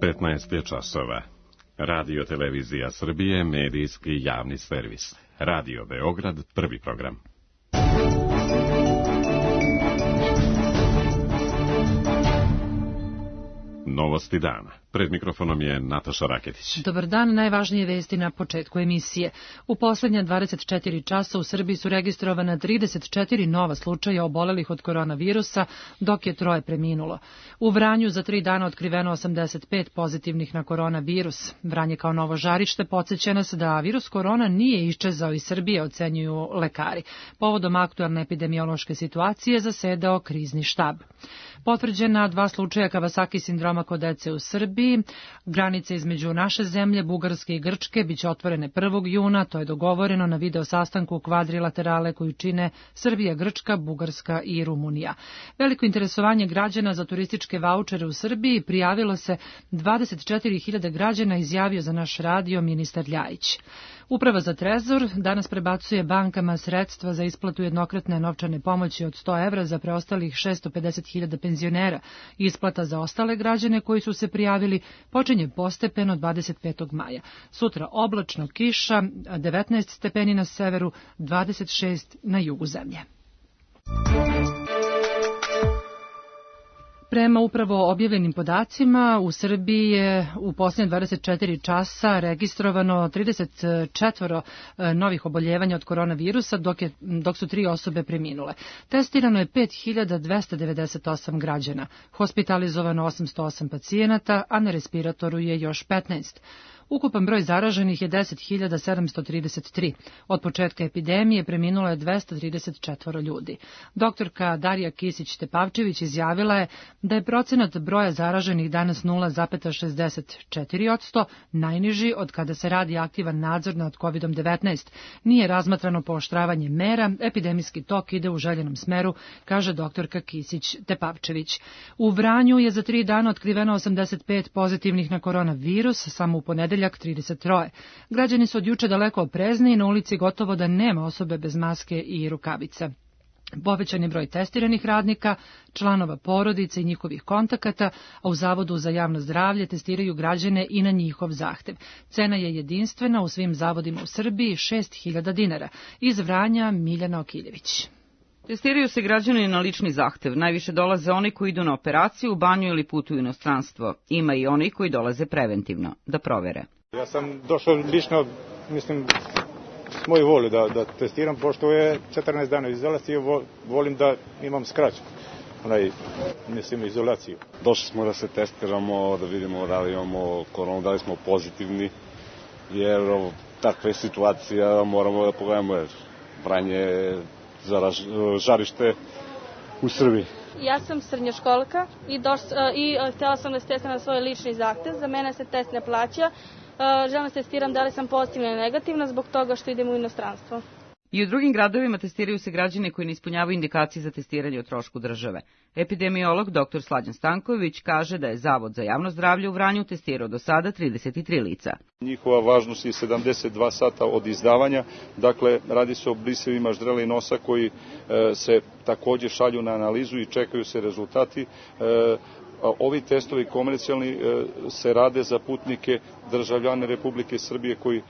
15 je časova. Radio Televizija Srbije, medijski javni servis. Radio Beograd, prvi program. Novosti dana. Pred mikrofonom je Nataša Raketić. Dobar dan, najvažnije vesti na početku emisije. U poslednja 24 časa u Srbiji su registrovana 34 nova slučaja obolelih od koronavirusa, dok je 3 preminulo. U Vranju za 3 dana otkriveno 85 pozitivnih na koronavirus. Vranje kao novo žarište podsjeća nas da virus korona nije iščezao iz Srbije, ocenjuju lekari. Povodom aktualne epidemiološke situacije zasedao krizni štab. Potvrđena 2 slučaja Kawasaki sindroma kod dece u Srbiji. Granice između naše zemlje, Bugarske i Grčke, biće otvorene 1. juna, to je dogovoreno na video sastanku kvadrilaterale koju čine Srbija, Grčka, Bugarska i Rumunija. Veliko interesovanje građana za turističke vaučere u Srbiji prijavilo se 24.000 građana, izjavio za naš radio ministar Ljajić. Uprava za Trezor danas prebacuje bankama sredstva za isplatu jednokratne novčane pomoći od 100 evra za preostalih 650.000 penzionera. Isplata za ostale građane koji su se prijavili počinje postepeno 25. maja. Sutra oblačno, kiša, 19 stepeni na severu, 26 na jugu zemlje. Prema upravo objavljenim podacima, u Srbiji je u posljednje 24 časa registrovano 34 novih oboljevanja od koronavirusa, dok su 3 osobe preminule. Testirano je 5.298 građana, hospitalizovano 808 pacijenata, a na respiratoru je još 15. Ukupan broj zaraženih je 10.733. Od početka epidemije preminulo je 234 ljudi. Doktorka Darija Kisić-Tepavčević izjavila je da je procenat broja zaraženih danas 0,64%, najniži od kada se radi aktivan nadzor nad COVID-19. Nije razmatrano pooštravanje mera, epidemijski tok ide u željenom smeru, kaže doktorka Kisić-Tepavčević. U Vranju je za 3 dana otkriveno 85 pozitivnih na koronavirus, samo u ponedeljak 33. Građani su od juče daleko oprezni i na ulici gotovo da nema osobe bez maske i rukavica. Povećan je broj testiranih radnika, članova porodice i njihovih kontakata, a u Zavodu za javno zdravlje testiraju građane i na njihov zahtev. Cena je jedinstvena u svim zavodima u Srbiji, 6.000 dinara. Iz Vranja Miljana Okiljević. Testiraju se građani na lični zahtev. Najviše dolaze oni koji idu na operaciju, u banju ili putuju u inostranstvo. Ima i oni koji dolaze preventivno, da provere. Ja sam došao lično, mislim, s moju volju da testiram, pošto je 14 dana izolacije, volim da imam skraću, izolaciju. Došli smo da se testiramo, da vidimo da li imamo koronu, da li smo pozitivni, jer takve situacije moramo da pogledamo, jer Vranje je žarište u Srbiji. Ja sam srednjoškolka i htjela sam da se testiram na svoj lični zahtev. Za mene se test ne plaća. Želim da se testiram da li sam pozitivna ili negativna zbog toga što idem u inostranstvo. I u drugim gradovima testiraju se građani koji ne ispunjavaju indikacije za testiranje o trošku države. Epidemiolog dr. Slađan Stanković kaže da je Zavod za javno zdravlje u Vranju testirao do sada 33 lica. Njihova važnost je 72 sata od izdavanja, dakle radi se o brisevima ždrela i nosa koji se također šalju na analizu i čekaju se rezultati. Ovi testovi komercijalni se rade za putnike, državljane Republike Srbije koji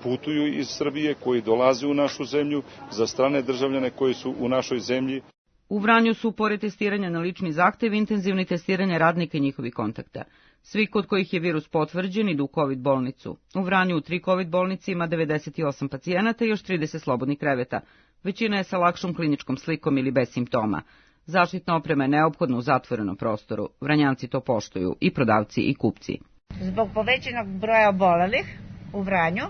putuju iz Srbije, koji dolaze u našu zemlju, za strane državljane koji su u našoj zemlji. U Vranju su, pored testiranja na lični zahtev, intenzivni testiranje radnika i njihovih kontakta. Svi kod kojih je virus potvrđen idu u COVID bolnicu. U Vranju u 3 COVID bolnici ima 98 pacijenata i još 30 slobodnih kreveta. Većina je sa lakšom kliničkom slikom ili bez simptoma. Zaštitna oprema je neophodna u zatvorenom prostoru. Vranjanci to poštuju, i prodavci i kupci. Zbog povećanog broja obolelih u Vranju,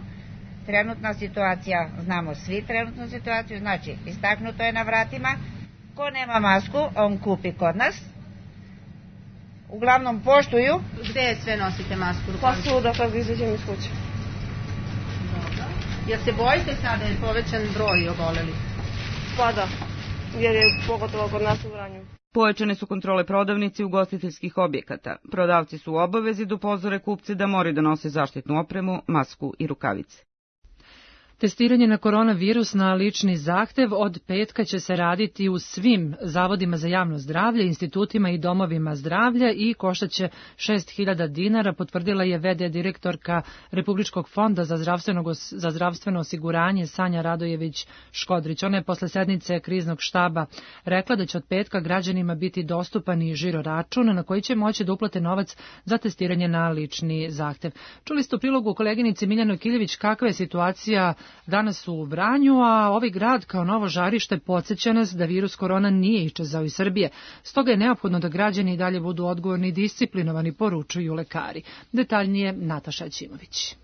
trenutna situacija, znamo svi trenutnu situaciju, znači istaknuto je na vratima, ko nema masku, on kupi kod nas. Uglavnom poštuju. Gde sve nosite masku? Pa svuda kad izađem iz kuće. Dobro. Jel se bojite sada je povećan broj obolelih? Pa da, jer je pogotovo kod nas u Vranju. Pojačane su kontrole prodavnici ugostiteljskih objekata. Prodavci su u obavezi da upozore kupce da moraju da nose zaštitnu opremu, masku i rukavice. Testiranje na koronavirus na lični zahtev od petka će se raditi u svim zavodima za javno zdravlje, institutima i domovima zdravlja i koštaće 6.000 dinara, potvrdila je v.d. direktorka Republičkog fonda za zdravstveno osiguranje Sanja Radojević-Škodrić. Ona je posle sednice kriznog štaba rekla da će od petka građanima biti dostupan i žiro račun na koji će moći da uplate novac za testiranje na lični zahtev. Čuli ste u prilogu koleginici Miljano Kiljević kakva je situacija danas u Vranju, a ovaj grad kao novo žarište podsjeća nas da virus korona nije iščezao iz Srbije. Stoga je neophodno da građani i dalje budu odgovorni i disciplinovani, poručuju lekari. Detaljnije Nataša Ćimović.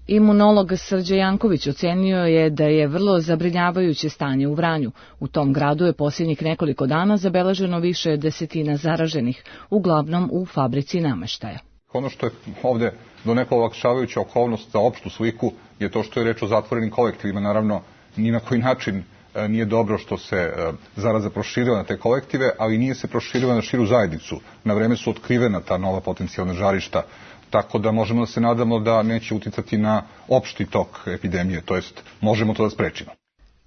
Imunolog Srđe Janković ocenio je da je vrlo zabrinjavajuće stanje u Vranju. U tom gradu je posljednjih nekoliko dana zabeleženo više desetina zaraženih, uglavnom u fabrici nameštaja. Ono što je ovde donekle olakšavajuća okolnost za opštu sliku je to što je reč o zatvorenim kolektivima. Naravno, ni na koji način nije dobro što se zaraza proširila na te kolektive, ali nije se proširila na širu zajednicu. Na vreme su otkrivena ta nova potencijalna žarišta, tako da možemo da se nadamo da neće uticati na opšti tok epidemije, to jest možemo to da sprečimo.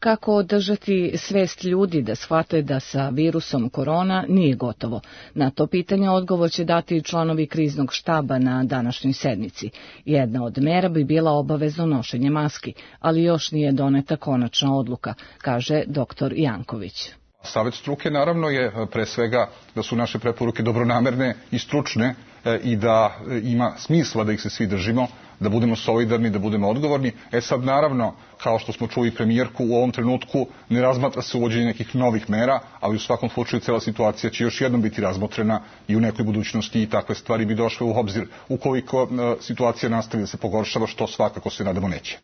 Kako održati svest ljudi da shvate da sa virusom korona nije gotovo? Na to pitanje odgovor će dati članovi kriznog štaba na današnjoj sednici. Jedna od mera bi bila obavezno nošenje maski, ali još nije doneta konačna odluka, kaže dr. Janković. Savet struke naravno je pre svega da su naše preporuke dobronamerne i stručne i da ima smisla da ih se svi držimo, da budemo solidarni, da budemo odgovorni. Sad naravno, kao što smo čuli premijerku, u ovom trenutku ne razmatra se uvođenje nekih novih mera, ali u svakom slučaju cela situacija će još jednom biti razmotrena i u nekoj budućnosti i takve stvari bi došle u obzir ukoliko situacija nastavi da se pogoršava, što svakako se nadamo neće.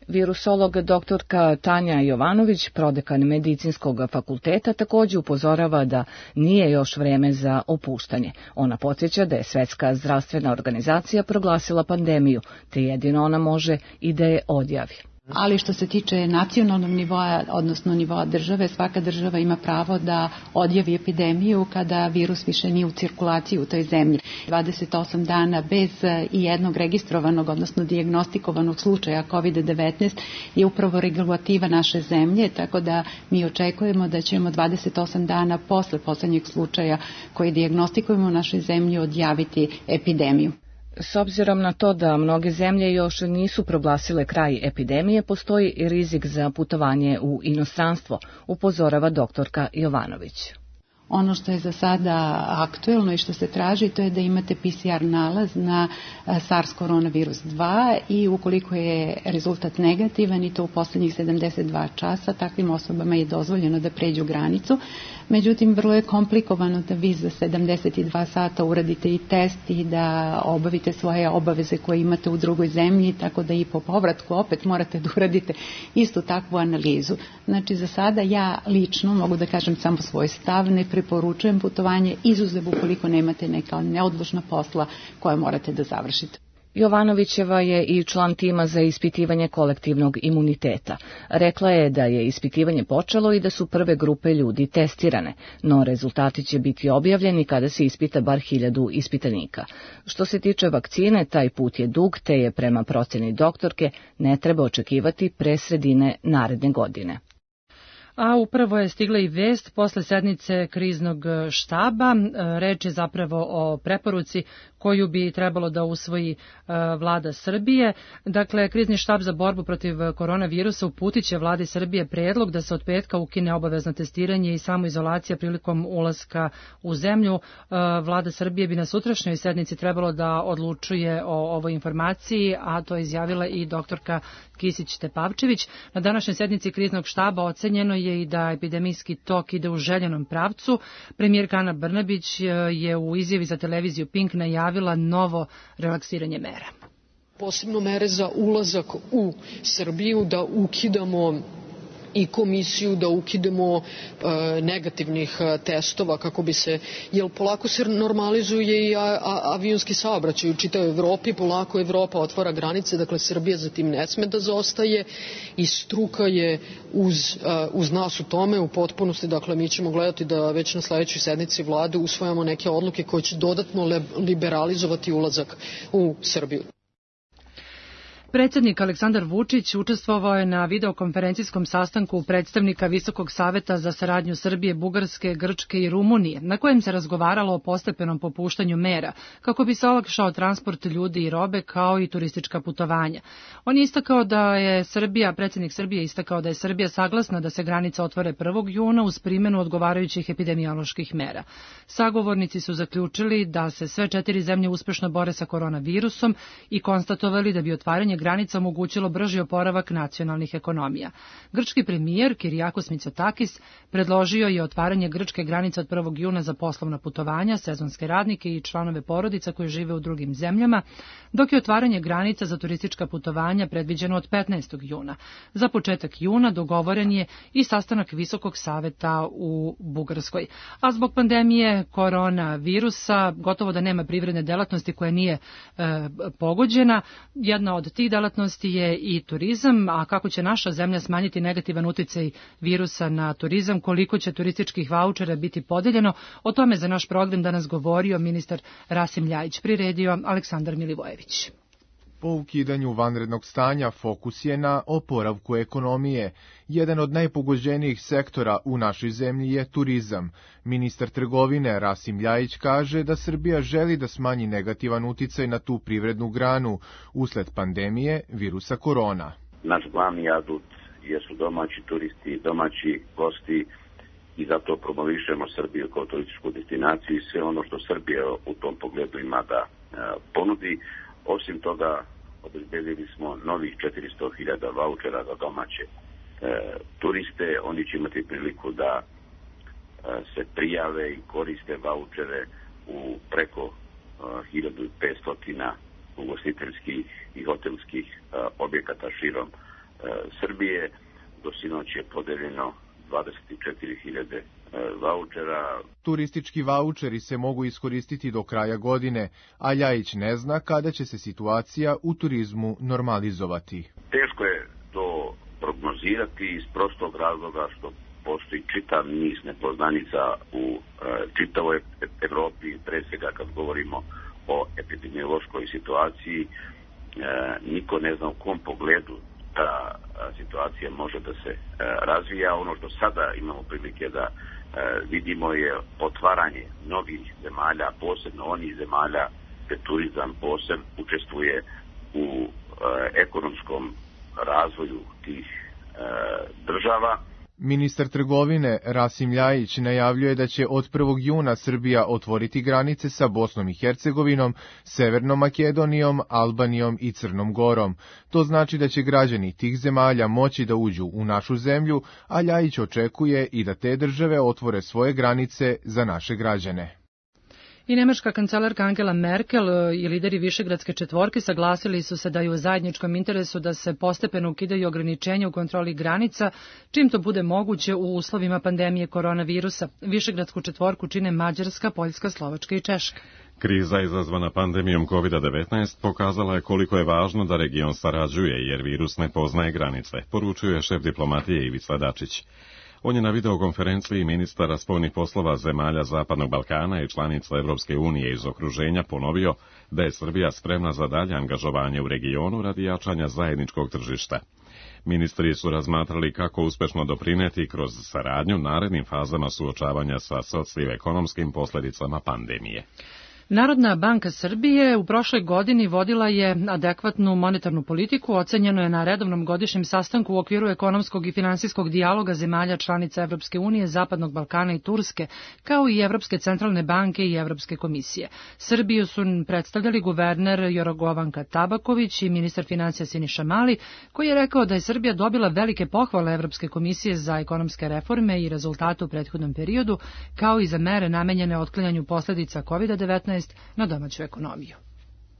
Virusolog doktorka Tanja Jovanović, prodekan Medicinskog fakulteta, također upozorava da nije još vreme za opuštanje. Ona podsjeća da je Svetska zdravstvena organizacija proglasila pandemiju, te jedino ona može i da je odjavi. Ali što se tiče nacionalnog nivoa, odnosno nivoa države, svaka država ima pravo da odjavi epidemiju kada virus više nije u cirkulaciji u toj zemlji. 28 dana bez i jednog registrovanog, odnosno dijagnostikovanog slučaja COVID-19 je upravo regulativa naše zemlje, tako da mi očekujemo da ćemo 28 dana posle poslednjeg slučaja koji dijagnostikujemo u našoj zemlji odjaviti epidemiju. S obzirom na to da mnoge zemlje još nisu proglasile kraj epidemije, postoji i rizik za putovanje u inostranstvo, upozorava doktorka Jovanović. Ono što je za sada aktuelno i što se traži, to je da imate PCR nalaz na SARS koronavirus 2 i ukoliko je rezultat negativan i to u poslednjih 72 časa, takvim osobama je dozvoljeno da pređu granicu. Međutim, vrlo je komplikovano da vi za 72 sata uradite i test i da obavite svoje obaveze koje imate u drugoj zemlji, tako da i po povratku opet morate da uradite istu takvu analizu. Znači, za sada ja lično mogu da kažem samo svoj stav, ne preporučujem putovanje, izuzev ukoliko nemate neka neodložna posla koje morate da završite. Jovanovićeva je i član tima za ispitivanje kolektivnog imuniteta. Rekla je da je ispitivanje počelo i da su prve grupe ljudi testirane, no rezultati će biti objavljeni kada se ispita bar 1000 ispitanika. Što se tiče vakcine, taj put je dug, te je prema proceni doktorke ne treba očekivati pre sredine naredne godine. A upravo je stigla i vest posle sednice kriznog štaba. Reč je zapravo o preporuci koju bi trebalo da usvoji vlada Srbije. Dakle, krizni štab za borbu protiv koronavirusa uputit će vladi Srbije predlog da se od petka ukine obavezno testiranje i samoizolacija prilikom ulaska u zemlju. Vlada Srbije bi na sutrašnjoj sednici trebalo da odlučuje o ovoj informaciji, a to je izjavila i doktorka Kisić-Tepavčević. Na današnjoj sednici kriznog štaba ocenjeno je i da epidemijski tok ide u željenom pravcu. Premijerka Ana Brnabić je u izjavi za televiziju Pink najavila novo relaksiranje mera. Posebno mere za ulazak u Srbiju, da ukidamo i komisiju, da ukidemo negativnih testova kako bi se, jer polako se normalizuje i avionski saobraćaj u čitavoj Evropi, polako Evropa otvara granice, dakle Srbija za tim ne sme da zaostaje i struka je uz nas u tome u potpunosti, dakle mi ćemo gledati da već na sledećoj sednici vlade usvajamo neke odluke koje će dodatno liberalizovati ulazak u Srbiju. Predsjednik Aleksandar Vučić učestvovao je na videokonferencijskom sastanku predstavnika Visokog saveta za saradnju Srbije, Bugarske, Grčke i Rumunije, na kojem se razgovaralo o postepenom popuštanju mera, kako bi se olakšao transport ljudi i robe, kao i turistička putovanja. On je istakao da je predsjednik Srbije istakao da je Srbija saglasna da se granice otvore 1. juna uz primjenu odgovarajućih epidemioloških mera. Sagovornici su zaključili da se sve 4 zemlje uspešno bore sa koronavirusom i konstatovali da bi otvaranje granica omogućilo brži oporavak nacionalnih ekonomija. Grčki premijer Kirijakos Mitsotakis predložio je otvaranje grčke granice od 1. juna za poslovna putovanja, sezonske radnike i članove porodica koji žive u drugim zemljama, dok je otvaranje granica za turistička putovanja predviđeno od 15. juna. Za početak juna dogovoren je i sastanak Visokog saveta u Bugarskoj. A zbog pandemije koronavirusa gotovo da nema privredne delatnosti koja nije pogođena. Jedna od tih delatnosti je i turizam, a kako će naša zemlja smanjiti negativan uticaj virusa na turizam, koliko će turističkih vaučera biti podeljeno, o tome za naš program danas govorio ministar Rasim Ljajić, priredio Aleksandar Milivojević. Po ukidanju vanrednog stanja fokus je na oporavku ekonomije. Jedan od najpogođenijih sektora u našoj zemlji je turizam. Ministar trgovine Rasim Ljajić kaže da Srbija želi da smanji negativan uticaj na tu privrednu granu usled pandemije virusa korona. Naš glavni adut jesu domaći turisti, domaći gosti i zato promovišemo Srbiju kao turističku destinaciju i sve ono što Srbija u tom pogledu ima da ponudi. Osim toga, obezbedili smo novih 400.000 vaučera za domaće turiste. Oni će imati priliku da se prijave i koriste vaučere u preko 1500 ugostiteljskih i hotelskih objekata širom Srbije. Do sinoć je podeljeno 24.000 vaučera. Turistički vaučeri se mogu iskoristiti do kraja godine, a Ljajić ne zna kada će se situacija u turizmu normalizovati. Teško je to prognozirati iz prostog razloga što postoji čitav niz nepoznanica u čitavoj Evropi, pre svega kad govorimo o epidemiološkoj situaciji. Niko ne zna u kom pogledu ta situacija može da se razvija. Ono što sada imamo prilike da vidimo je otvaranje novih zemalja, posebno onih zemalja gde turizam posebno učestvuje u ekonomskom razvoju tih država. Ministar trgovine Rasim Ljajić najavljuje da će od 1. juna Srbija otvoriti granice sa Bosnom i Hercegovinom, Severnom Makedonijom, Albanijom i Crnom Gorom. To znači da će građani tih zemalja moći da uđu u našu zemlju, a Ljajić očekuje i da te države otvore svoje granice za naše građane. I nemačka kancelarka Angela Merkel i lideri Višegradske četvorke saglasili su se da je u zajedničkom interesu da se postepeno ukidaju ograničenja u kontroli granica, čim to bude moguće u uslovima pandemije koronavirusa. Višegradsku četvorku čine Mađarska, Poljska, Slovačka i Češka. Kriza izazvana pandemijom COVID-19 pokazala je koliko je važno da region sarađuje, jer virus ne poznaje granice, poručuje šef diplomatije Ivica Dačić. On je na videokonferenciji ministara spoljnih poslova zemalja Zapadnog Balkana i članica Evropske unije iz okruženja ponovio da je Srbija spremna za dalje angažovanje u regionu radi jačanja zajedničkog tržišta. Ministri su razmatrali kako uspešno doprineti kroz saradnju narednim fazama suočavanja sa socioekonomskim posledicama pandemije. Narodna banka Srbije u prošloj godini vodila je adekvatnu monetarnu politiku, ocenjeno je na redovnom godišnjem sastanku u okviru ekonomskog i finansijskog dijaloga zemalja članica Evropske unije, Zapadnog Balkana i Turske, kao i Evropske centralne banke i Evropske komisije. Srbiju su predstavljali guverner Jorgovanka Tabaković i ministar financija Siniša Mali, koji je rekao da je Srbija dobila velike pohvale Evropske komisije za ekonomske reforme i rezultate u prethodnom periodu, kao i za mere namenjene otklanjanju posledica COVID-19 na domaću ekonomiju.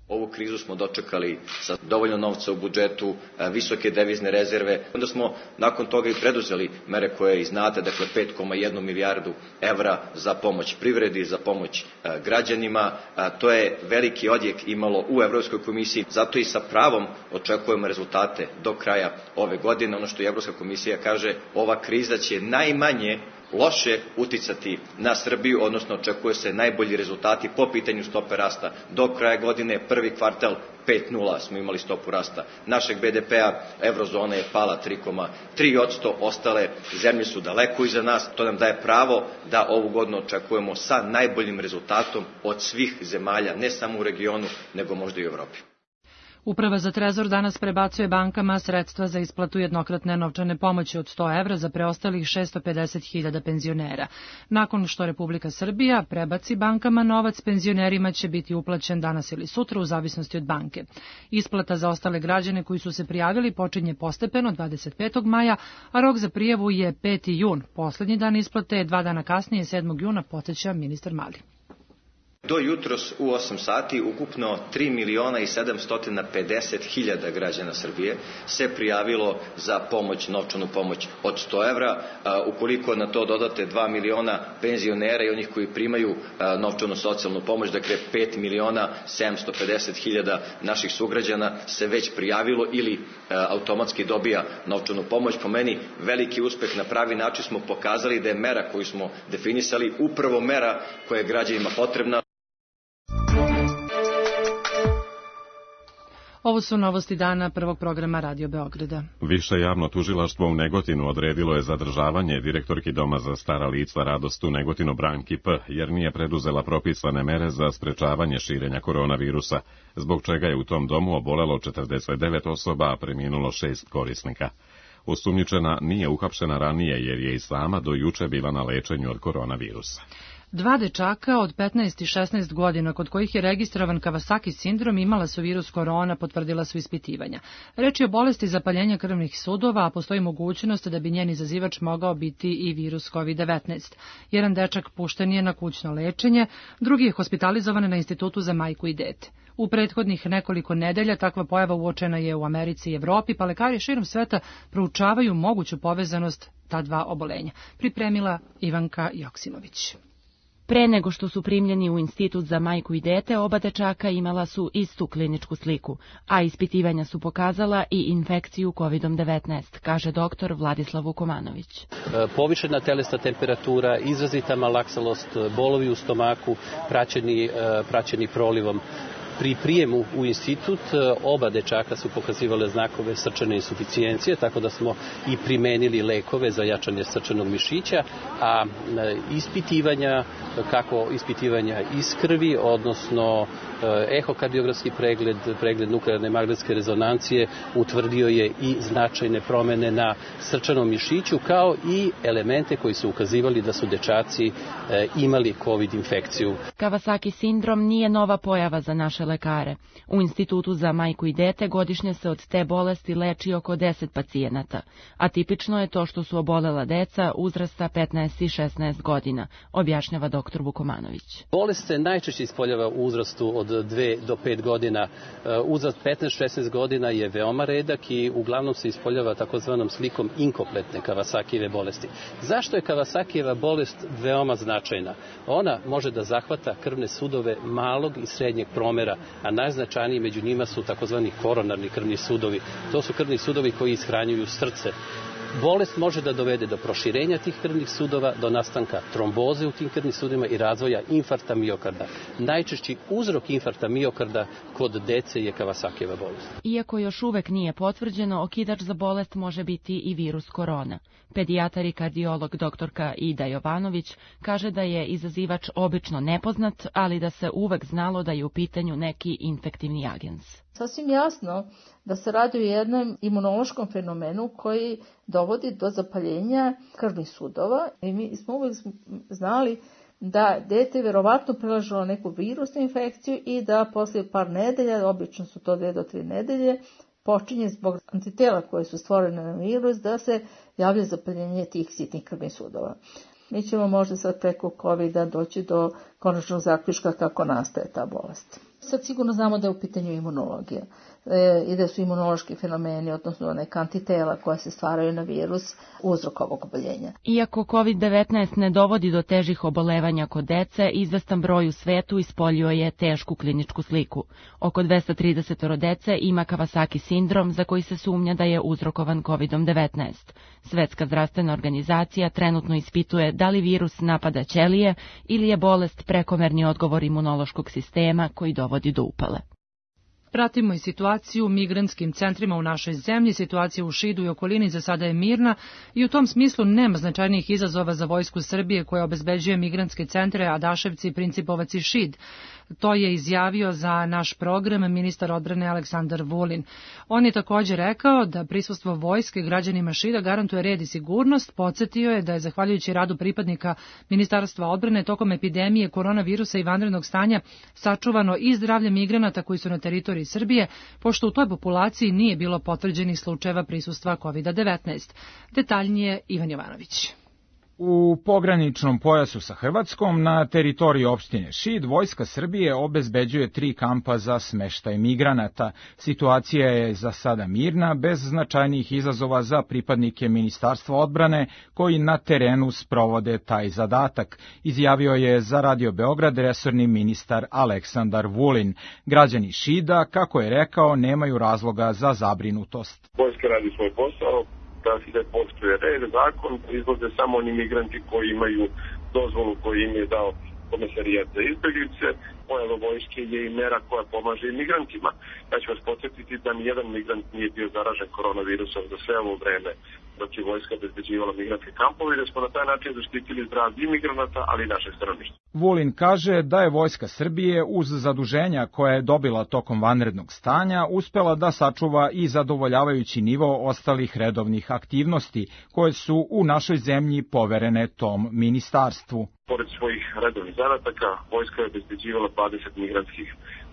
Ovu krizu smo dočekali sa dovoljno novca u budžetu, visoke devizne rezerve. Onda smo nakon toga i preduzeli mere koje i znate, dakle 5,1 milijardu evra za pomoć privredi, za pomoć građanima. To je veliki odjek imalo u Evropskoj komisiji, zato i sa pravom očekujemo rezultate do kraja ove godine. Ono što i Evropska komisija kaže, ova kriza će najmanje loše uticati na Srbiju, odnosno očekuje se najbolji rezultati po pitanju stope rasta. Do kraja godine, prvi kvartal 5,0 smo imali stopu rasta našeg BDP-a, eurozona je pala 3,3%, ostale zemlje su daleko iza nas, to nam daje pravo da ovu godinu očekujemo sa najboljim rezultatom od svih zemalja, ne samo u regionu, nego možda i u Evropi. Uprava za Trezor danas prebacuje bankama sredstva za isplatu jednokratne novčane pomoći od 100 evra za preostalih 650.000 penzionera. Nakon što Republika Srbija prebaci bankama novac, penzionerima će biti uplaćen danas ili sutra u zavisnosti od banke. Isplata za ostale građane koji su se prijavili počinje postepeno 25. maja, a rok za prijavu je 5. jun. Poslednji dan isplate je 2 dana kasnije, 7. juna, podsjeća ministar Mali. Do jutros u 8 sati ukupno 3.750.000 građana Srbije se prijavilo za pomoć, novčanu pomoć od 100 evra. Ukoliko na to dodate 2 miliona penzionera i onih koji primaju novčanu socijalnu pomoć, dakle 5.750.000 naših sugrađana se već prijavilo ili automatski dobija novčanu pomoć. Po meni veliki uspeh, na pravi način smo pokazali da je mera koju smo definisali upravo mera koja je građanima potrebna. Ovo su novosti dana prvog programa Radio Beograda. Više javno tužilaštvo u Negotinu odredilo je zadržavanje direktorki Doma za stara lica Radost u Negotinu Branki P, jer nije preduzela propisane mere za sprečavanje širenja koronavirusa, zbog čega je u tom domu obolelo 49 osoba, a preminulo 6 korisnika. Osumnjičena nije uhapšena ranije jer je i sama do juče bila na lečenju od koronavirusa. 2 dečaka od 15 i 16 godina kod kojih je registrovan Kawasaki sindrom imala su virus korona, potvrdila su ispitivanja. Reč je o bolesti zapaljenja krvnih sudova, a postoji mogućnost da bi njen izazivač mogao biti i virus COVID-19. Jedan dečak pušten je na kućno lečenje, drugi je hospitalizovan na Institutu za majku i dete. U prethodnih nekoliko nedelja takva pojava uočena je u Americi i Evropi, pa lekari širom sveta proučavaju moguću povezanost ta dva obolenja. Pripremila Ivanka Joksimović. Pre nego što su primljeni u Institut za majku i dete, oba dečaka imala su istu kliničku sliku, a ispitivanja su pokazala i infekciju COVID-19, kaže doktor Vladislav Vukomanović. Povišena telesna temperatura, izrazita malaksalost, bolovi u stomaku, praćeni prolivom. Pri prijemu u institut oba dečaka su pokazivale znakove srčane insuficijencije, tako da smo i primenili lekove za jačanje srčanog mišića, a ispitivanja, kako ispitivanja iz krvi, odnosno ehokardiografski pregled nuklearne magnetske rezonancije utvrdio je i značajne promene na srčanom mišiću, kao i elemente koji su ukazivali da su dečaci imali COVID infekciju. Kawasaki sindrom nije nova pojava za naše lekare. U Institutu za majku i dete godišnje se od te bolesti leči oko 10 pacijenata, a tipično je to što su obolela deca uzrasta 15 i 16 godina, objašnjava dr. Vukomanović. Bolest se najčešće ispoljava u uzrastu od 2 do 5 godina. Uzrast 15-16 godina je veoma redak i uglavnom se ispoljava takozvanom slikom inkompletne Kawasakijeve bolesti. Zašto je Kawasakijeva bolest veoma značajna? Ona može da zahvata krvne sudove malog i srednjeg promera, a najznačajniji među njima su takozvani koronarni krvni sudovi. To su krvni sudovi koji ishranjuju srce. Bolest može da dovede do proširenja tih krvnih sudova, do nastanka tromboze u tim krvnim sudovima i razvoja infarkta miokarda. Najčešći uzrok infarkta miokarda kod dece je Kawasakijeva bolest. Iako još uvek nije potvrđeno, okidač za bolest može biti i virus korona. Pedijatar i kardiolog doktorka Ida Jovanović kaže da je izazivač obično nepoznat, ali da se uvek znalo da je u pitanju neki infektivni agens. Sasvim jasno da se radi o jednom imunološkom fenomenu koji dovodi do zapaljenja krvnih sudova i mi smo uvek znali da dete verovatno prelažilo neku virusnu infekciju i da poslije par nedelja, obično su to 2 do 3 nedelje, počinje zbog antitela koje su stvorene na virus da se javlja zapaljenje tih sitnih krvnih sudova. Mi ćemo možda sad preko COVID-a doći do konačnog zaključka kako nastaje ta bolest. Sad sigurno znamo da je u pitanju imunologija i da su imunološki fenomeni, odnosno neka antitela koja se stvaraju na virus, uzrok ovog oboljenja. Iako COVID-19 ne dovodi do težih obolevanja kod dece, izvestan broj u svetu ispoljio je tešku kliničku sliku. Oko 230 dece ima Kawasaki sindrom, za koji se sumnja da je uzrokovan COVID-19. Svetska zdravstvena organizacija trenutno ispituje da li virus napada ćelije ili je bolest prekomerni odgovor imunološkog sistema koji dovodi do upale. Pratimo i situaciju u migrantskim centrima u našoj zemlji. Situacija u Šidu i okolini za sada je mirna i u tom smislu nema značajnijih izazova za Vojsku Srbije koja obezbeđuje migrantske centre Adaševci, Principovac i Šid. To je izjavio za naš program ministar odbrane Aleksandar Vulin. On je također rekao da prisustvo vojske građanima Šida garantuje red i sigurnost. Podsjetio je da je zahvaljujući radu pripadnika Ministarstva odbrane tokom epidemije koronavirusa i vanrednog stanja sačuvano i zdravlje migranata koji su na teritoriji Srbije, pošto u toj populaciji nije bilo potvrđenih slučajeva prisustva COVID-19. Detaljnije Ivan Jovanović. U pograničnom pojasu sa Hrvatskom na teritoriji opštine Šid Vojska Srbije obezbeđuje 3 kampa za smeštaj migranata. Situacija je za sada mirna, bez značajnih izazova za pripadnike Ministarstva odbrane koji na terenu sprovode taj zadatak, izjavio je za Radio Beograd resorni ministar Aleksandar Vulin. Građani Šida, kako je rekao, nemaju razloga za zabrinutost. Vojska radi svoj posao, da se poštuje red, zakon, izlaze samo oni migranti koji imaju dozvolu koju im je dao Komesarijat za izbeglice. Pojava vojske je i mera koja pomaže i migrantima. Ja ću vas podsjetiti da nijedan migrant nije bio zaražen koronavirusom za sve ovo vreme dok je vojska obezbeđivala migrantske kampove i da smo na taj način zaštitili zdravlje i migranata, ali i našeg stanovništva. Vulin kaže da je Vojska Srbije uz zaduženja koje je dobila tokom vanrednog stanja uspela da sačuva i zadovoljavajući nivo ostalih redovnih aktivnosti koje su u našoj zemlji poverene tom ministarstvu. Pored svojih redovnih zadataka, vojska je obezbeđivala 20 migrantskih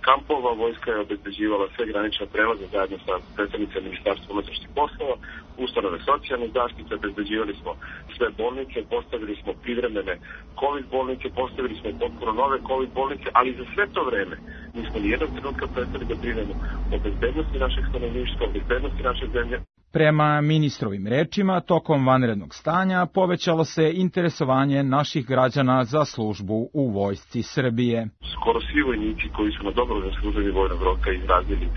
kampova, vojska je obezbeđivala sve granične prelaze zajedno sa predstavnicima Ministarstva unutrašnjih poslova, ustanove socijalne zaštite, obezbeđivali smo sve bolnice, postavili smo privremene COVID bolnice, postavili smo potpuno nove COVID bolnice, ali za sve to vreme nismo nijednog trenutka prestali da brinemo o bezbednosti našeg stanovništva, o bezbednosti naše zemlje. Prema ministrovim rečima, tokom vanrednog stanja povećalo se interesovanje naših građana za službu u Vojsci Srbije. Skoro svi vojnici koji su na dobrovoljnom služenju vojnog roka izrazili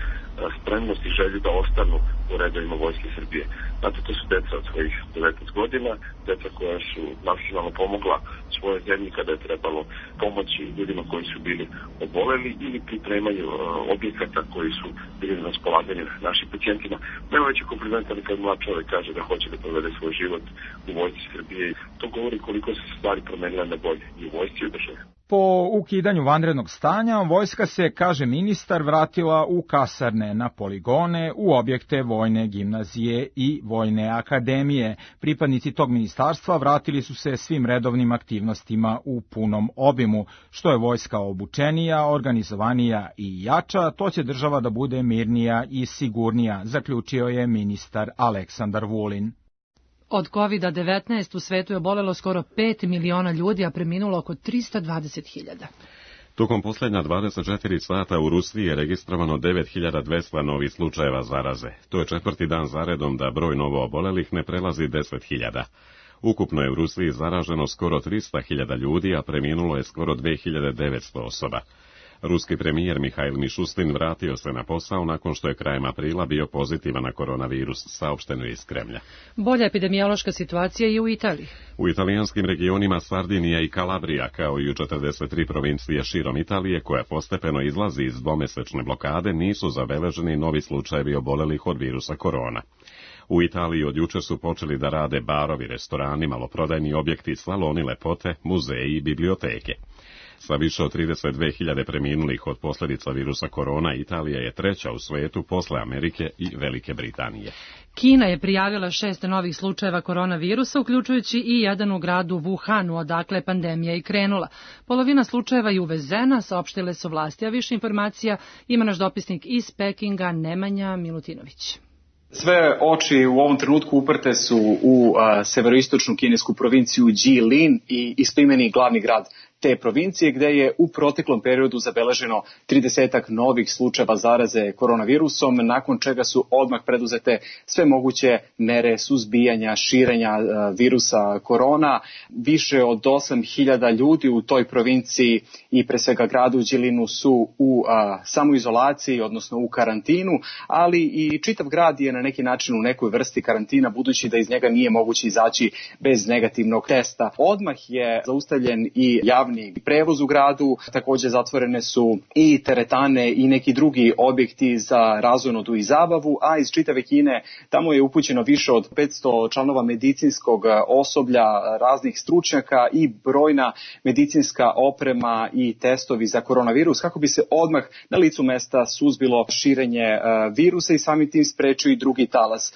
spremnost i želju da ostanu u redovima Vojske Srbije. Znate, to su deca od svojih 19 godina, deca koja su maksimalno pomogla svoje zemlji kada je trebalo pomoći ljudima koji su bili oboleli ili pripremanju objekata koji su bili na raspolaganju našim pacijentima. Nema veće komplimenta kad mlad čovjek kaže da hoće da provede svoj život u Vojsci Srbije. To govori koliko se stvari promenile na bolje i u vojsci i u državi. Po ukidanju vanrednog stanja, vojska se, kaže ministar, vratila u kasarne, na poligone, u objekte vojne gimnazije i vojne akademije. Pripadnici tog ministarstva vratili su se svim redovnim aktivnostima u punom obimu. Što je vojska obučenija, organizovanija i jača, to će država da bude mirnija i sigurnija, zaključio je ministar Aleksandar Vulin. Od COVID-19 u svetu je obolelo skoro 5 miliona ljudi, a preminulo oko 320.000. Tokom posljednja 24 sata u Rusiji je registrovano 9.200 novih slučajeva zaraze. To je 4. dan zaredom da broj novo obolelih ne prelazi 10.000. Ukupno je u Rusiji zaraženo skoro 300.000 ljudi, a preminulo je skoro 2.900 osoba. Ruski premijer Mihail Mišustin vratio se na posao nakon što je krajem aprila bio pozitivan na koronavirus, saopšteno je iz Kremlja. Bolja epidemiološka situacija i u Italiji. U italijanskim regionima Sardinija i Kalabrija, kao i u 43 provincije širom Italije, koja postepeno izlazi iz dvomesečne blokade, nisu zabeleženi novi slučajevi obolelih od virusa korona. U Italiji od juče su počeli da rade barovi, restorani, maloprodajni objekti, saloni lepote, muzeji i biblioteke. Sa više od 32.000 preminulih od posljedica virusa korona, Italija je treća u svetu posle Amerike i Velike Britanije. Kina je prijavila 6 novih slučajeva koronavirusa, uključujući i jedan u gradu Wuhanu, odakle pandemija i krenula. Polovina slučajeva je uvezena, saopštile su vlasti, a više informacija ima naš dopisnik iz Pekinga, Nemanja Milutinović. Sve oči u ovom trenutku uprte su u severoistočnu kinesku provinciju Jilin i istoimeni glavni grad te provincije, gde je u proteklom periodu zabeleženo 30 novih slučajeva zaraze koronavirusom, nakon čega su odmah preduzete sve moguće mere suzbijanja, širenja virusa korona. Više od 8.000 ljudi u toj provinciji i pre svega gradu Đilinu su u samoizolaciji, odnosno u karantinu, ali i čitav grad je na neki način u nekoj vrsti karantina, budući da iz njega nije moguće izaći bez negativnog testa. Odmah je zaustavljen i javni prevoz u gradu, takođe zatvorene su i teretane i neki drugi objekti za razonodu i zabavu, a iz čitave Kine tamo je upućeno više od 500 članova medicinskog osoblja, raznih stručnjaka i brojna medicinska oprema i testovi za koronavirus, kako bi se odmah na licu mesta suzbilo širenje virusa i samim tim sprečio i drugi talas.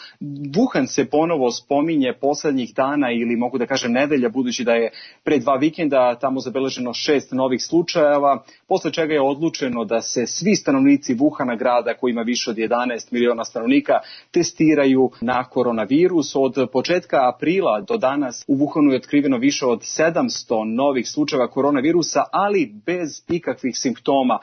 Wuhan se ponovo spominje poslednjih dana ili mogu da kažem nedelja, budući da je pre 2 vikenda tamo zabeleženo 6 novih slučajeva, posle čega je odlučeno da se svi stanovnici Wuhana, grada koji ima više od 11 miliona stanovnika, testiraju na koronavirus. Od početka aprila do danas u Wuhanu je otkriveno više od 700 novih slučajeva koronavirusa, ali bez ikakvih simptoma.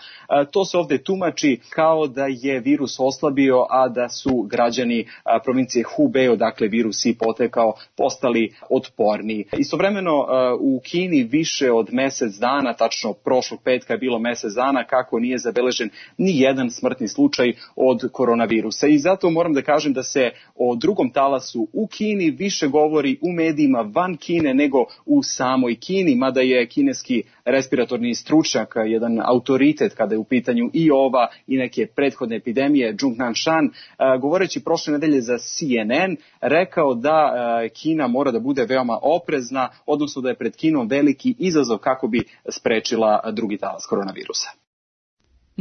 To se ovde tumači kao da je virus oslabio, a da su građani provincije Hubei, odakle virus i potekao, postali otporniji. Istovremeno u Kini više od mesec dana, tačno prošlog petka je bilo mesec dana kako nije zabeležen ni jedan smrtni slučaj od koronavirusa. I zato moram da kažem da se o drugom talasu u Kini više govori u medijima van Kine nego u samoj Kini, mada je kineski respiratorni stručnjak jedan autoritet kada je u pitanju i ova i neke prethodne epidemije, Zhong Nanshan, govoreći prošle nedelje za CNN, rekao da Kina mora da bude veoma oprezna, odnosno da je pred Kinom veliki izazov kako bi sprečila drugi talas koronavirusa.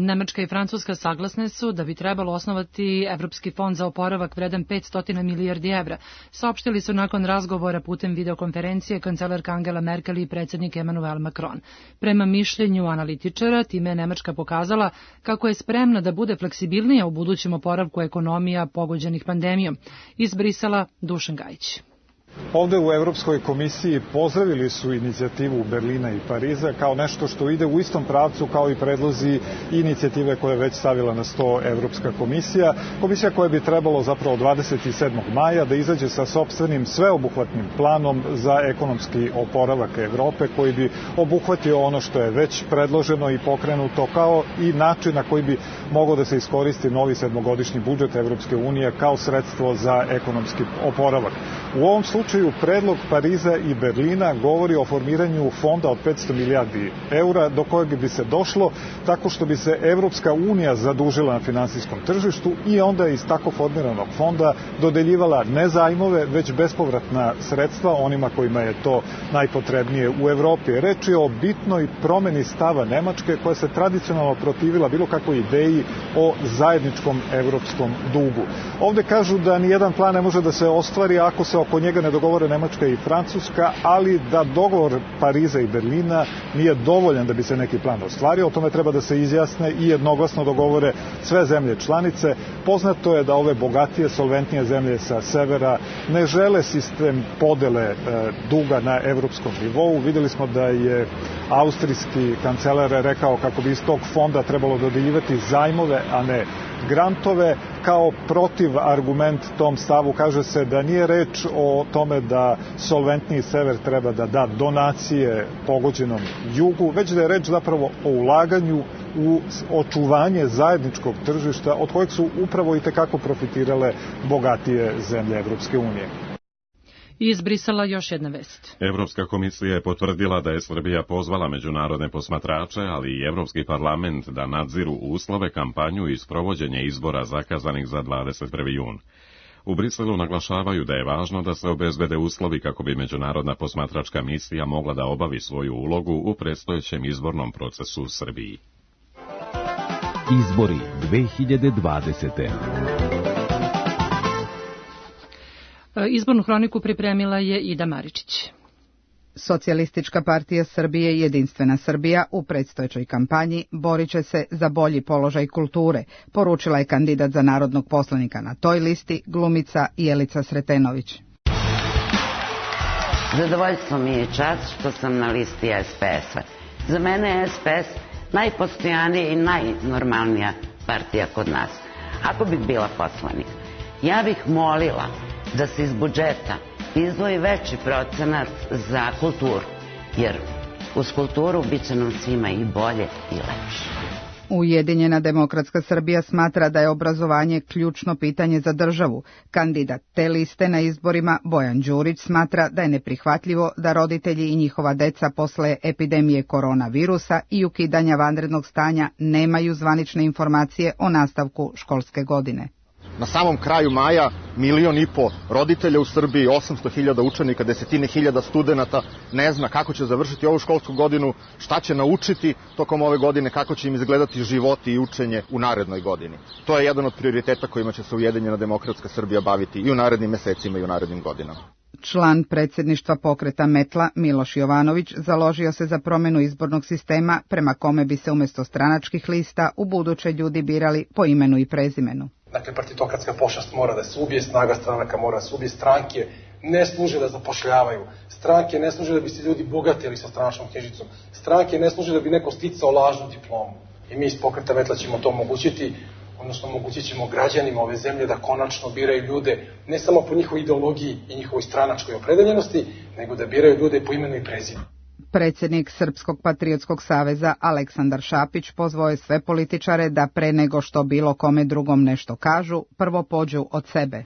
Nemačka i Francuska saglasne su da bi trebalo osnovati Evropski fond za oporavak vredan 500 milijardi evra. Saopštili su nakon razgovora putem videokonferencije kancelarka Angela Merkel i predsjednik Emmanuel Macron. Prema mišljenju analitičara, time je Nemačka pokazala kako je spremna da bude fleksibilnija u budućem oporavku ekonomija pogođenih pandemijom. Iz Brisela, Dušan Gajić. Ovde u Evropskoj komisiji pozdravili su inicijativu Berlina i Pariza kao nešto što ide u istom pravcu kao i predlozi inicijative koje je već stavila na sto Evropska komisija. Komisija koja bi trebalo zapravo 27. maja da izađe sa sopstvenim sveobuhvatnim planom za ekonomski oporavak Evrope koji bi obuhvatio ono što je već predloženo i pokrenuto kao i način na koji bi mogao da se iskoristi novi 7-godišnji budžet Evropske unije kao sredstvo za ekonomski oporavak. U ovom slučaju predlog Pariza i Berlina govori o formiranju fonda od 500 milijardi eura do kojeg bi se došlo tako što bi se Evropska unija zadužila na finansijskom tržištu i onda iz tako formiranog fonda dodeljivala ne zajmove, već bespovratna sredstva onima kojima je to najpotrebnije u Evropi. Reč je o bitnoj promeni stava Nemačke koja se tradicionalno protivila bilo kakvoj ideji o zajedničkom evropskom dugu. Ovde kažu da nijedan plan ne može da se ostvari ako se oko njega ne dogovore Nemačka i Francuska, ali da dogovor Pariza i Berlina nije dovoljan da bi se neki plan ostvario. O tome treba da se izjasne i jednoglasno dogovore sve zemlje članice. Poznato je da ove bogatije, solventnije zemlje sa severa ne žele sistem podele duga na evropskom nivou. Videli smo da je austrijski kancelar rekao kako bi iz tog fonda trebalo dodeljivati zajmove, a ne grantove. Kao protiv argument tom stavu kaže se da nije reč o tome da solventniji sever treba da da donacije pogođenom jugu, već da je reč zapravo o ulaganju u očuvanje zajedničkog tržišta od kojeg su upravo i tekako profitirale bogatije zemlje Evropske unije. Iz Brisela još jedna vest. Evropska komisija je potvrdila da je Srbija pozvala međunarodne posmatrače, ali i Evropski parlament da nadziru uslove, kampanju i sprovođenje izbora zakazanih za 21. jun. U Briselu naglašavaju da je važno da se obezbede uslovi kako bi međunarodna posmatračka misija mogla da obavi svoju ulogu u predstojećem izbornom procesu u Srbiji. Izbori 2020. Izbornu hroniku pripremila je Ida Maričić. Socijalistička partija Srbije i Jedinstvena Srbija u predstojećoj kampanji borit će se za bolji položaj kulture, poručila je kandidat za narodnog poslanika na toj listi, glumica Jelica Sretenović. Zadovoljstvo mi je čast što sam na listi SPS-a. Za mene je SPS najpostojanija i najnormalnija partija kod nas. Ako bih bila poslanik, ja bih molila da se iz budžeta izdvoji veći procenat za kulturu, jer uz kulturu bit će nam svima i bolje i lepše. Ujedinjena demokratska Srbija smatra da je obrazovanje ključno pitanje za državu. Kandidat te liste na izborima, Bojan Đurić, smatra da je neprihvatljivo da roditelji i njihova deca posle epidemije koronavirusa i ukidanja vanrednog stanja nemaju zvanične informacije o nastavku školske godine. Na samom kraju maja 1,5 miliona roditelja u Srbiji, 800.000 učenika, desetine hiljada studenata ne zna kako će završiti ovu školsku godinu, šta će naučiti tokom ove godine, kako će im izgledati životi i učenje u narednoj godini. To je jedan od prioriteta kojima će se Ujedinjena demokratska Srbija baviti i u narednim mesecima i u narednim godinama. Član predsjedništva pokreta Metla Miloš Jovanović založio se za promjenu izbornog sistema prema kome bi se umjesto stranačkih lista u buduće ljudi birali po imenu i prezimenu. Dakle, partitokratska pošast mora da se ubije, snaga stranaka mora da se ubije, stranke ne služe da zapošljavaju, stranke ne služe da bi se ljudi bogatili sa stranačkom knjižicom, stranke ne služe da bi neko sticao lažnu diplomu. I mi iz pokreta Metla ćemo to omogućiti, odnosno omogućit ćemo građanima ove zemlje da konačno biraju ljude ne samo po njihovoj ideologiji i njihovoj stranačkoj opredeljenosti, nego da biraju ljude po imenu i prezimenu. Predsjednik Srpskog patriotskog saveza Aleksandar Šapić pozvao je sve političare da pre nego što bilo kome drugom nešto kažu, prvo pođu od sebe.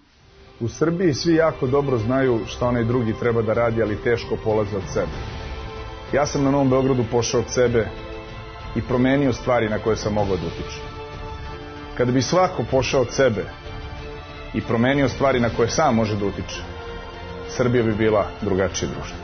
U Srbiji svi jako dobro znaju šta onaj drugi treba da radi, ali teško polaze od sebe. Ja sam na Novom Beogradu pošao od sebe i promenio stvari na koje sam mogao da utičem. Kada bi svako pošao od sebe i promenio stvari na koje sam može da utiče, Srbija bi bila drugačije društvo.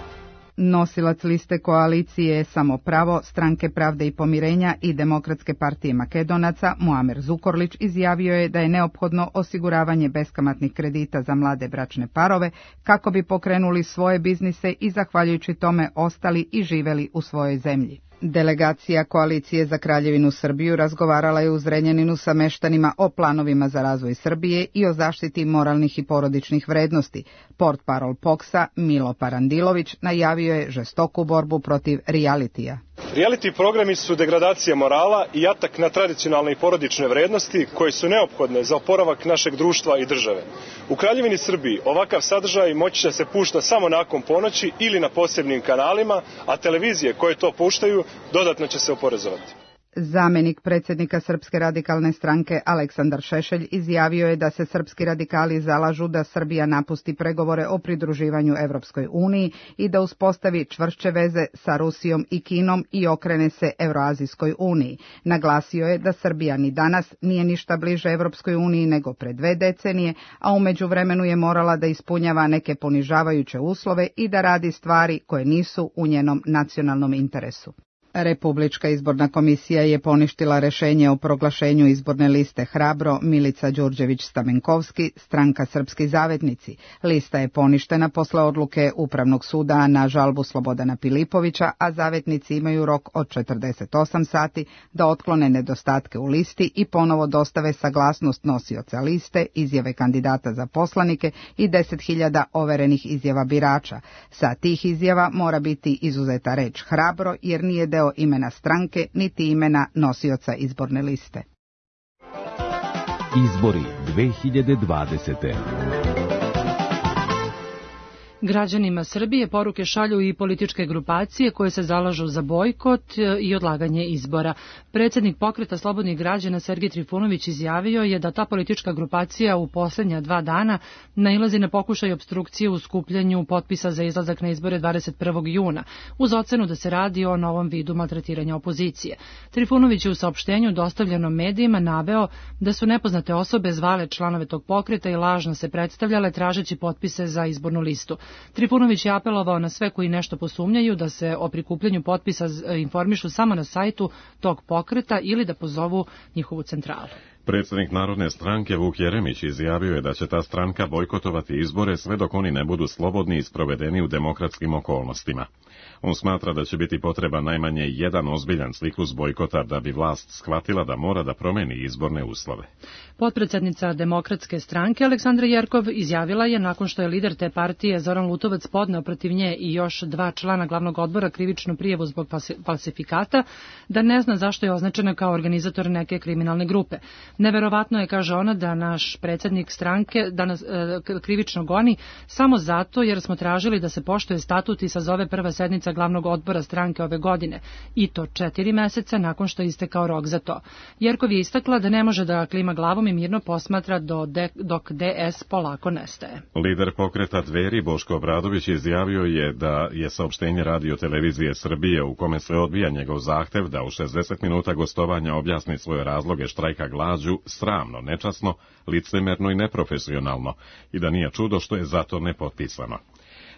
Nosilac liste koalicije Samo pravo, Stranke pravde i pomirenja i Demokratske partije Makedonaca Muamer Zukorlić izjavio je da je neophodno osiguravanje beskamatnih kredita za mlade bračne parove kako bi pokrenuli svoje biznise i zahvaljujući tome ostali i živeli u svojoj zemlji. Delegacija Koalicije za Kraljevinu Srbiju razgovarala je u Zrenjaninu sa meštanima o planovima za razvoj Srbije i o zaštiti moralnih i porodičnih vrednosti. Portparol POKS-a Milo Parandilović najavio je žestoku borbu protiv realitija. Reality programi su degradacija morala i atak na tradicionalne i porodične vrednosti koje su neophodne za oporavak našeg društva i države. U Kraljevini Srbiji ovakav sadržaj moći će se pušta samo nakon ponoći ili na posebnim kanalima, a televizije koje to puštaju dodatno će se oporezovati. Zamenik predsjednika Srpske radikalne stranke Aleksandar Šešelj izjavio je da se srpski radikali zalažu da Srbija napusti pregovore o pridruživanju Evropskoj uniji i da uspostavi čvršće veze sa Rusijom i Kinom i okrene se Evroazijskoj uniji. Naglasio je da Srbija ni danas nije ništa bliže Evropskoj uniji nego pre 2 decenije, a u međuvremenu je morala da ispunjava neke ponižavajuće uslove i da radi stvari koje nisu u njenom nacionalnom interesu. Republička izborna komisija je poništila rešenje o proglašenju izborne liste Hrabro Milica Đurđević-Stamenkovski, stranka Srpski zavetnici. Lista je poništena posle odluke Upravnog suda na žalbu Slobodana Pilipovića, a zavetnici imaju rok od 48 sati da otklone nedostatke u listi i ponovo dostave saglasnost nosioca liste, izjave kandidata za poslanike i 10.000 overenih izjava birača. Sa tih izjava mora biti izuzeta reč Hrabro jer nije deo imena stranke niti imena nosioca izborne liste. Izbori 2020. Građanima Srbije poruke šalju i političke grupacije koje se zalažu za bojkot i odlaganje izbora. Predsjednik pokreta Slobodnih građana Sergej Trifunović izjavio je da ta politička grupacija u posljednja 2 dana nailazi na pokušaj opstrukcije u skupljanju potpisa za izlazak na izbore 21. juna, uz ocenu da se radi o novom vidu maltretiranja opozicije. Trifunović je u saopštenju dostavljenom medijima naveo da su nepoznate osobe zvale članove tog pokreta i lažno se predstavljale tražeći potpise za izbornu listu. Trifunović je apelovao na sve koji nešto posumnjaju da se o prikupljanju potpisa informišu samo na sajtu tog pokreta ili da pozovu njihovu centralu. Predsjednik Narodne stranke Vuk Jeremić izjavio je da će ta stranka bojkotovati izbore sve dok oni ne budu slobodni i sprovedeni u demokratskim okolnostima. On smatra da će biti potreban najmanje jedan ozbiljan ciklus bojkota da bi vlast shvatila da mora da promeni izborne uslove. Potpredsjednica Demokratske stranke Aleksandra Jerkov izjavila je nakon što je lider te partije Zoran Lutovac podneo protiv nje i još 2 člana glavnog odbora krivičnu prijavu zbog falsifikata, da ne zna zašto je označena kao organizator neke kriminalne grupe. Neverovatno je, kaže ona, da naš predsjednik stranke da nas krivično goni samo zato jer smo tražili da se poštuje statut i sazove prva sednica glavnog odbora stranke ove godine, i to 4 meseca nakon što je istekao rok za to. Jerkov je istakla da ne može da klima glavom i mirno posmatra dok DS polako nestaje. Lider pokreta Dveri Boško Obradović izjavio je da je saopštenje Radio televizije Srbije u kome se odbija njegov zahtev da u 60 minuta gostovanja objasni svoje razloge štrajka glađu sramno, nečasno, licemerno i neprofesionalno i da nije čudo što je zato nepotpisano.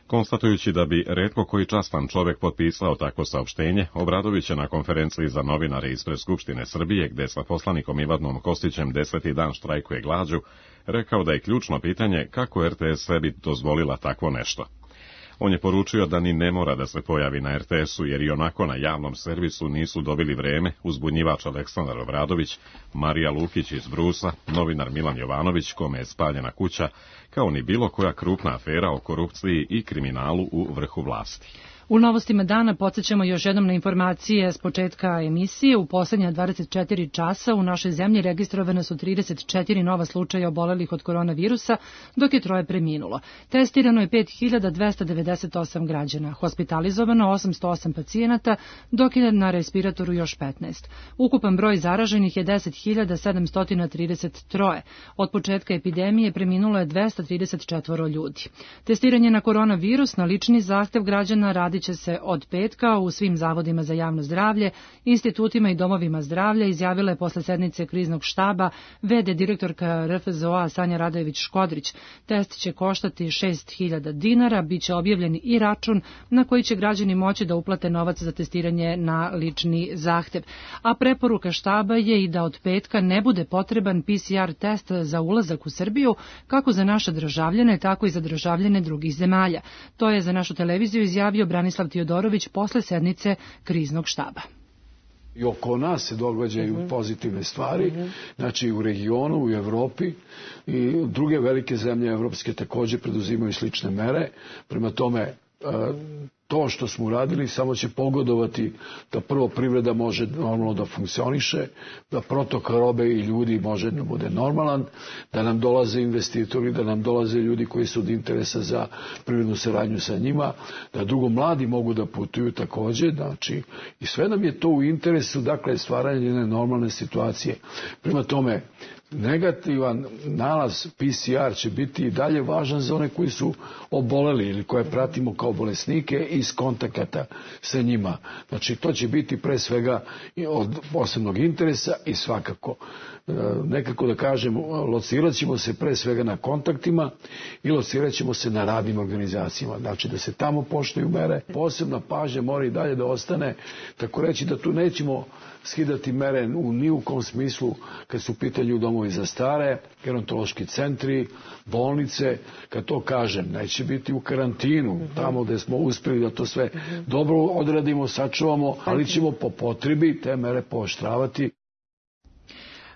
Konstatujući da bi retko koji častan čovjek potpisao takvo saopštenje, Obradović je na konferenciji za novinare ispred Skupštine Srbije, gde sa poslanikom Ivanom Kostićem 10. dan štrajkuje glađu, rekao da je ključno pitanje kako RTS sebi dozvolila takvo nešto. On je poručio da ni ne mora da se pojavi na RTS-u, jer i onako na javnom servisu nisu dobili vreme uzbunjivač Aleksandar Obradović, Marija Lukić iz Brusa, novinar Milan Jovanović, kome je spaljena kuća, kao ni bilo koja krupna afera o korupciji i kriminalu u vrhu vlasti. U novostima dana podsjećamo još jednom na informacije s početka emisije. U poslednja 24 časa u našoj zemlji registrovane su 34 nova slučaja obolelih od koronavirusa, dok je 3 preminulo. Testirano je 5298 građana, hospitalizovano 808 pacijenata, dok je na respiratoru još 15. Ukupan broj zaraženih je 10.733. Od početka epidemije preminulo je 234 ljudi. Testiranje na koronavirus na lični zahtev građana radi će se od petka u svim zavodima za javno zdravlje, institutima i domovima zdravlja, izjavila je posle sednice kriznog štaba v.d. direktorka RFZO-a Sanja Radojević-Škodrić. Test će koštati 6.000 dinara, bit će objavljen i račun na koji će građani moći da uplate novac za testiranje na lični zahtev. A preporuka štaba je i da od petka ne bude potreban PCR test za ulazak u Srbiju, kako za naše državljane, tako i za državljane drugih zemalja. To je za našu televiziju izjavio Branislav Tiodorović posle sednice kriznog štaba. I oko nas se događaju pozitivne stvari, znači u regionu, u Evropi i druge velike zemlje evropske također preduzimaju slične mere. Prema tome, to što smo uradili samo će pogodovati da prvo privreda može normalno da funkcioniše, da protok robe i ljudi može da bude normalan, da nam dolaze investitori, da nam dolaze ljudi koji su od interesa za privrednu saradnju sa njima, da drugo mladi mogu da putuju također, znači i sve nam je to u interesu, dakle stvaranje jedne normalne situacije. Prema tome, negativan nalaz PCR će biti i dalje važan za one koji su oboleli ili koje pratimo kao bolesnike iz kontakata sa njima. Znači to će biti pre svega od posebnog interesa i svakako nekako da kažem, locirat ćemo se pre svega na kontaktima i locirat ćemo se na radnim organizacijama. Znači da se tamo poštuju mere. Posebna pažnja mora i dalje da ostane, tako reći da tu nećemo skidati mere u ni u kom smislu kad su u pitanju domovi za stare, gerontološki centri, bolnice. Kad to kažem, neće biti u karantinu, tamo gde smo uspeli da to sve dobro odradimo, sačuvamo, ali ćemo po potrebi te mere pooštravati.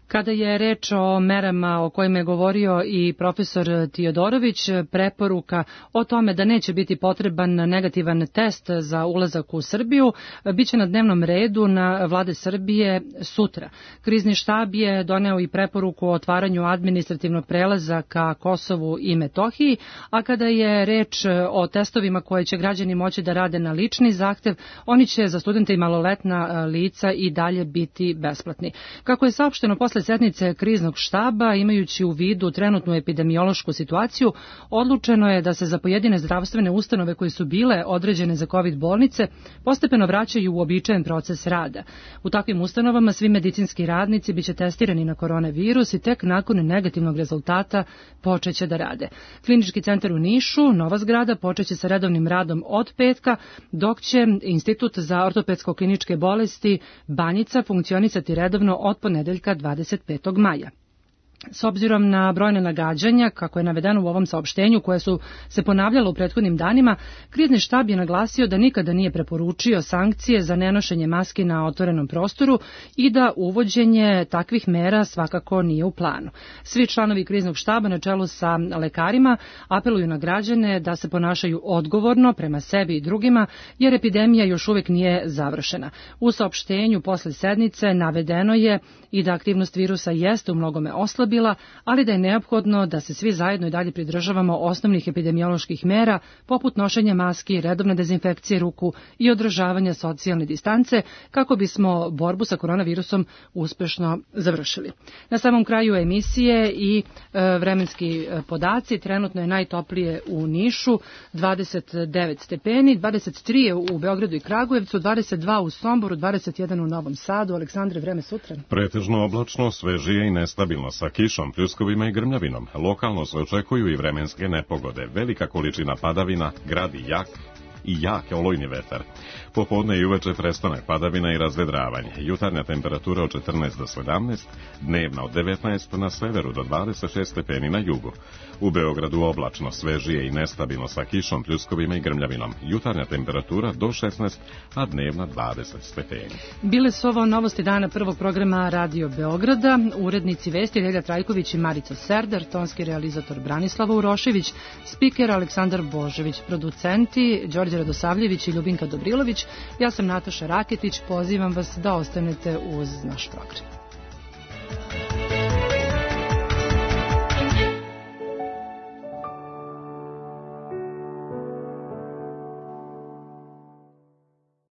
Kada je reč o merama o kojima je govorio i profesor Tiodorović, preporuka o tome da neće biti potreban negativan test za ulazak u Srbiju biće na dnevnom redu na vlade Srbije sutra. Krizni štab je doneo i preporuku o otvaranju administrativnog prelaza ka Kosovu i Metohiji, a kada je reč o testovima koje će građani moći da rade na lični zahtev, oni će za studente i maloletna lica i dalje biti besplatni. Kako je saopšteno posle sednice kriznog štaba, imajući u vidu trenutnu epidemiološku situaciju, odlučeno je da se za pojedine zdravstvene ustanove koje su bile određene za COVID bolnice postepeno vraćaju u uobičajen proces rada. U takvim ustanovama svi medicinski radnici biće testirani na koronavirus i tek nakon negativnog rezultata počeće da rade. Klinički centar u Nišu, nova zgrada, počeće sa redovnim radom od petka, dok će Institut za ortopedsko-kliničke bolesti Banjica funkcionisati redovno od ponedeljka 25. maja. S obzirom na brojne nagađanja, kako je navedeno u ovom saopštenju, koje su se ponavljalo u prethodnim danima, krizni štab je naglasio da nikada nije preporučio sankcije za nenošenje maski na otvorenom prostoru i da uvođenje takvih mera svakako nije u planu. Svi članovi kriznog štaba na čelu sa lekarima apeluju na građane da se ponašaju odgovorno prema sebi i drugima, jer epidemija još uvek nije završena. U saopštenju posle sednice navedeno je i da aktivnost virusa jeste u mnogome oslabila, ali da je neophodno da se svi zajedno i dalje pridržavamo osnovnih epidemioloških mera, poput nošenja maski, redovne dezinfekcije ruku i održavanja socijalne distance, kako bismo borbu sa koronavirusom uspešno završili. Na samom kraju emisije i vremenski podaci. Trenutno je najtoplije u Nišu, 29 stepeni, 23 je u Beogradu i Kragujevcu, 22 u Somboru, 21 u Novom Sadu. Aleksandre, vreme sutra? Pretežno oblačno, svežije i nestabilno, sa kišom, pljuskovima i grmljavinom. Lokalno se očekuju i vremenske nepogode, velika količina padavina, grad i jak olujni vetar. Popodne i uveče prestanak padavina i razvedravanje. Jutarnja temperatura od 14 do 17, dnevna od 19 na severu do 26 stepeni na jugu. U Beogradu oblačno, svežije i nestabilno sa kišom, pljuskovima i grmljavinom. Jutarnja temperatura do 16, a dnevna 20 stepeni. Bile su ovo novosti dana prvog programa Radio Beograda. Urednici vesti Relja Trajković i Marica Serdar, tonski realizator Branislava Urošević, spiker Aleksandar Božević, producenti Đorđe Radosavljević i Ljubinka Dobrilović. Ja sam Nataša Raketić, pozivam vas da ostanete uz naš program.